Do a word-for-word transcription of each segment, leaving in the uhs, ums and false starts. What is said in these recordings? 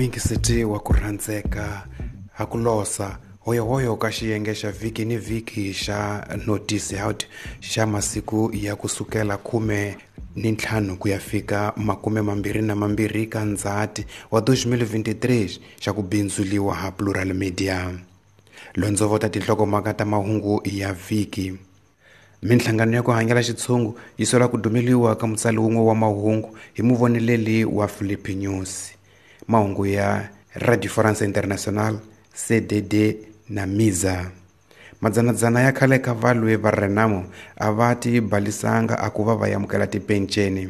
Muyingiseti wa ku rhandzeka ha ku losa hoyohoyo ka xiyenge xa vhiki ni vhiki xa Notice Out xa masiku ya kusukela khume ni ntlhanu ku ya fika makume mambirhi na mambirhi ka Ndzhati wa twenty twenty-three xa ku bindzuliwa ha Plural Media. Londzovota tinhlokomhaka ta mahungu ya vhiki. Minhlangano ya ku hanyela xitshungu yi sola ku dumeliwa ka mutsali wun'we wa mahungu hi muvoneleli wa Philippe News. Mahungu ya Radio France International, C D D na Miza. Madzanadzana ya khale ka valwe va Renamo a va ti balisanga a ku va va amukela tipenceni.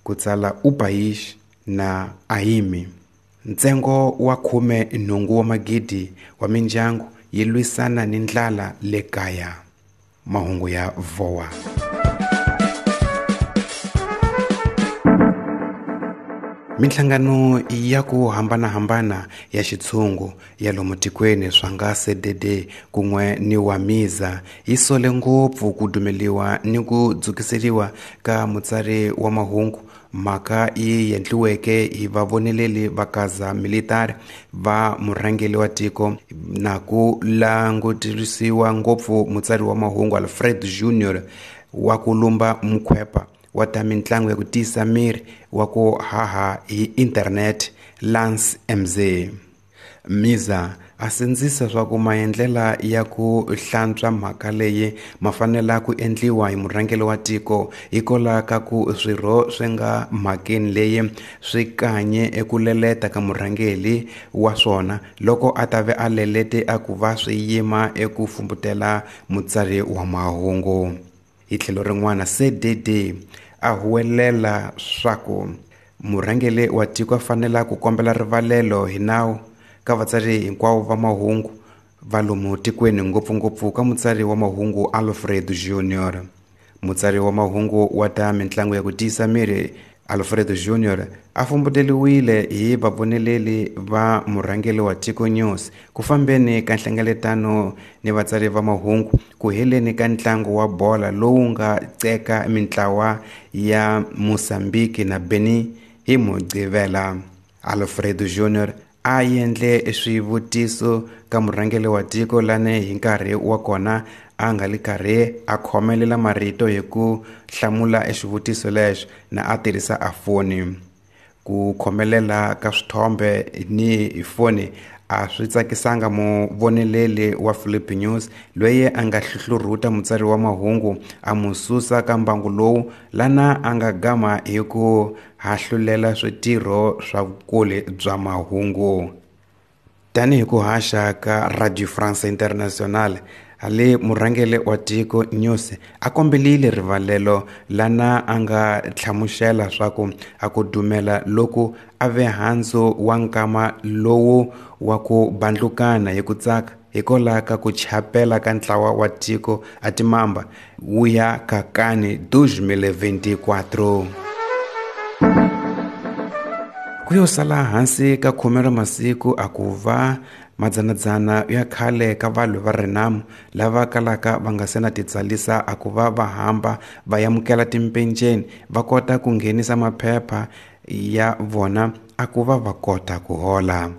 Ku tsala Upaish na Aimi. Ntsengo wa khume nhungu wa magidi wa mindyangu yi lwisana ni ndlala le kaya. Mahungu ya V O A. Minhlangano ya ku hambanahambana ya xitshungu ya lomu tikweni swa nga C D D kun'we ni wa Miza yi sole ngopfu ku dumeliwa ni ku dzukiseriwa ka mutsari wa mahungu, mhaka yi endliweke hi vavoneleli va kaza military va murhangeri wa tiko na ku langutirisiwa ngopfu mutsari wa mahungu Alfred Junior wa ku lumba mukhwepa wa ta mintlangu ya ku tiyisa miri wa ku haha hi internet Lance M Z. Miza a sindzisa swa ku maendlela ya ku hlantswa mhaka leyi ma fanela ku endliwa hi murhangeri wa tiko hikwalaho ka ku swirho swi nga mhakeni leyi swi kanye eku leleta ka murhangeri wa swona loko a ta ve a lelete a ku va swi yima eku fumbutela mutsari wa mahungu. Hi tlhelo rin'wana, C D D a huwelela swa ku murhangeri wa tiko a fanela ku kombela rivalelo hi nawu ka vatsari hinkwavo va mahungu va lomu tikweni, ngopfungopfu ka mutsari wa mahungu Alfred Junior. Mutsari wa mahungu wa ta mintlangu ya ku tiyisa miri Alfred Junior a fumbuteliwile hi vavoneleli va murhangeri wa Tiko News ku fambeni ka nhlengeletano ni vatsari va mahungu ku heleni ka ntlangu wa bola lowu nga ceka mintlawa ya Mozambique na Benin hi Mugqivela. Alfred Junior a endle swivutiso ka murhangeri wa tiko lane hi nkarhi wa kona a nga li karhi a khomelela marito hi ku hlamula exivutiso lexo na a tirhisa a foni. Ku khomelela ka swithombe ni hi foni a swi tsakisanga muvoneleli wa Philippe News loyi a nga hluhlurhuta mutsari wa mahungu a mu susa ka mbangu lowu lana a nga gama hi ku hahlulela switirho swa vukuli bya mahungu. Tanihi ku haxa ka Radio France International, ale murhangeri wa Tiko News a kombelile rivalelo lana a nga hlamusela swa ku a ku dumela loku a ve handzu wa nkama lowu wa ku bandlukana hi ku tsaka hikwalaho ka ku chapela ka ntlawa wa tiko a timamba wu ya ka kani twenty twenty-four. Ku yo sala hansi ka khume ra masiku a ku va madzanadzana ya khale ka valwe va Renamo lava kalaka va nga se na titsalisa a ku va va hamba va amukela timpenceni va kota ku nghenisa maphepha ya vona a ku va va kota ku hola.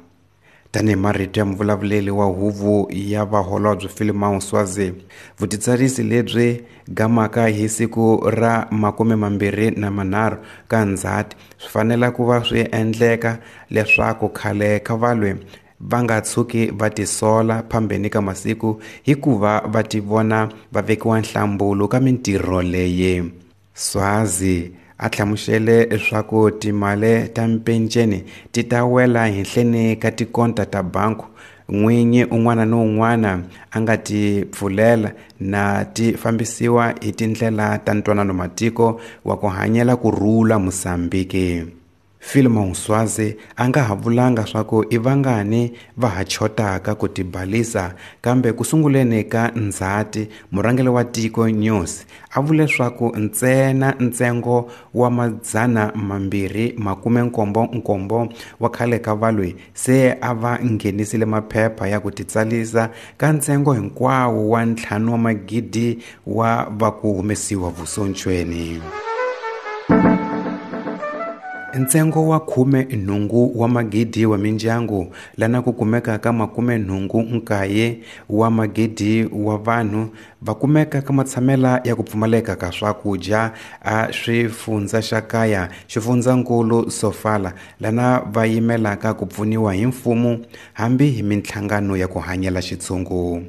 Tanihi marito ya muvulavuleli wa huvo ya vaholobye Philemon Swazi, vutitsarisi lebyi gamaka hi siku ra makume mambirhi na manharhu ka Ndzhati swi fanela ku va swi endleka leswaku khale ka valwe va nga tshuki va tisola phambeni ka masiku hikuva va tivona va vekiwa nhlambulo ka mintirho leyi. Swazi a hlamusele leswaku timali ta mpenceni ti ta wela henhleni ka tikonta ta banku n'winyi un'wana ni un'wana a nga ti pfulela na ti fambisiwa hi tindlela ta ntwanano matiko wa ku hanyela ku rhula Mozambique. Philemon Swazi a nga ha vulanga swa ku i vangani va ha chotaka ku tibalisa, kambe ku sunguleni ka Ndzhati murhangeri wa Tiko News a vule swa ku ntsena ntsengo wa madzana mambirhi makume nkombo nkombo wa khale ka valwe se a va nghenisile maphepha ya ku titsalisa ka ntsengo hinkwawo wa ntlhanu wa magidi wa va ku humesiwa vusontshweni. Ntsengo wa khume nhungu wa magidi wa mindyangu lana ku kumeka ka makume nhungu nkaye wa magidi wa vanhu va kumeka ka matshamela ya ku pfumaleka ka swakudya a swifundza xa kaya xifundzankulu Sofala lana va yimelaka ku pfuniwa hi mfumo hambi hi minhlangano ya ku hanyela xitshungu.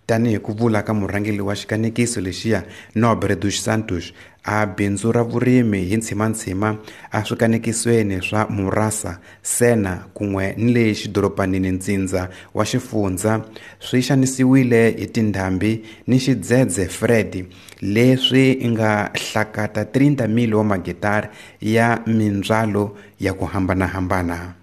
Tanihi ku vula ka murhangeri wa xikanekiso lexiya Nobre dos Santos a bindzu ra vurimi hi ntshimantshima a swikanekisweni swa Murasa, Sena kun'we ni le xidorobanini ntsindza wa xifundza swi xanisiwile hi tindhambi ni xidzedze Fred leswi nga hlakata thirty mil wa magitari ya mindzwalo ya ku hambanahambana.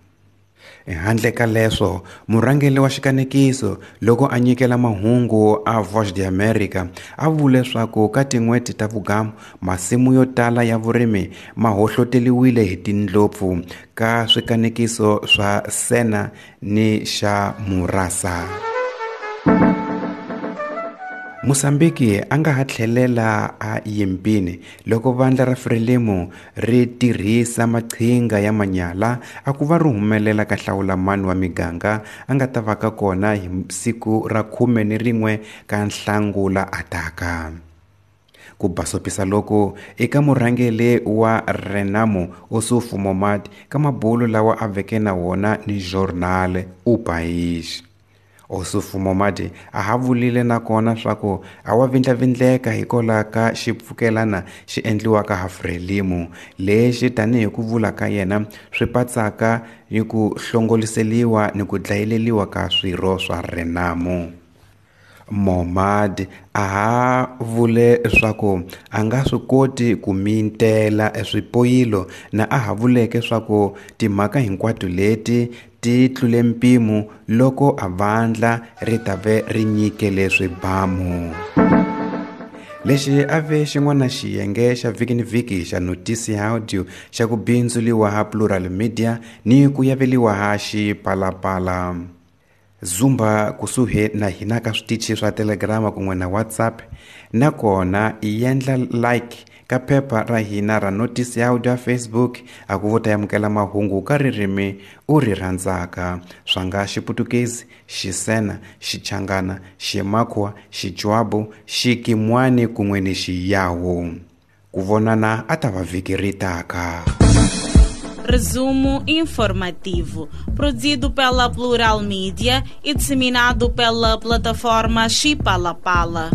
Handle ka leswo, murhangeri wa xikanekiso loko a nyikela mahungu a Voz de America a vule leswaku ka tin'hweti ta vugamu masimu yo tala ya vurimi ma hohloteliwile hi tindlopfu ka swikanekiso swa Sena ni xa Murasa. Mozambique a nga ha tlhelela a yimpini loko vandla ra Frelimo ri tirhisa maqhinga ya manyala a ku va ri humelela ka hlawulamani wa miganga a nga ta va ka kona hi siku ra khume ni rin'we ka Nhlangula ataka. Ku basopisa loko eka murhangeri wa Renamo Ossufo Momad ka mabulu lawa a veke na wona ni Jornal O País. Ossufo Momad a ha vulile nakona swaku a wa vindlavindleka hikwalaho ka xipfukelana xi endliwaka ha Frelimo lexi tanihi ku vula ka yena swi patsaka ni ku hlongoliseliwa ni ku dlayeleliwa ka swirho swa Renamo. Momad a ha vule swaku a nga swi koti ku mintela eswipoyilo na a ha vuleke swaku timhaka hinkwato leti ti tlule mpimo loko a vandla ri ta ve ri nyikele swibamu. Lexi a ve xin'wana xiyenge xa vhiki ni vhiki xa Notícia Audio xa ku bindzuliwa ha Plural Media ni ku yaveliwa ha Xipalapala. Zumba kusuhi na hina ka switichi swa Telegram kun'we na WhatsApp nakona i endla like ka phepha ra hina ra Notícia Audio Facebook a ku vota amukela mahungu ka ririmi u ri rhandzaka swa nga Xiputukezi, Xisena, Xichangana, Ximakwa, Xichwabu, Xikimwani kun'we ni Xiyawu. Ku vonana a ta va vhiki ri taka. Resumo informativo, produzido pela Plural Mídia e disseminado pela plataforma Xipalapala.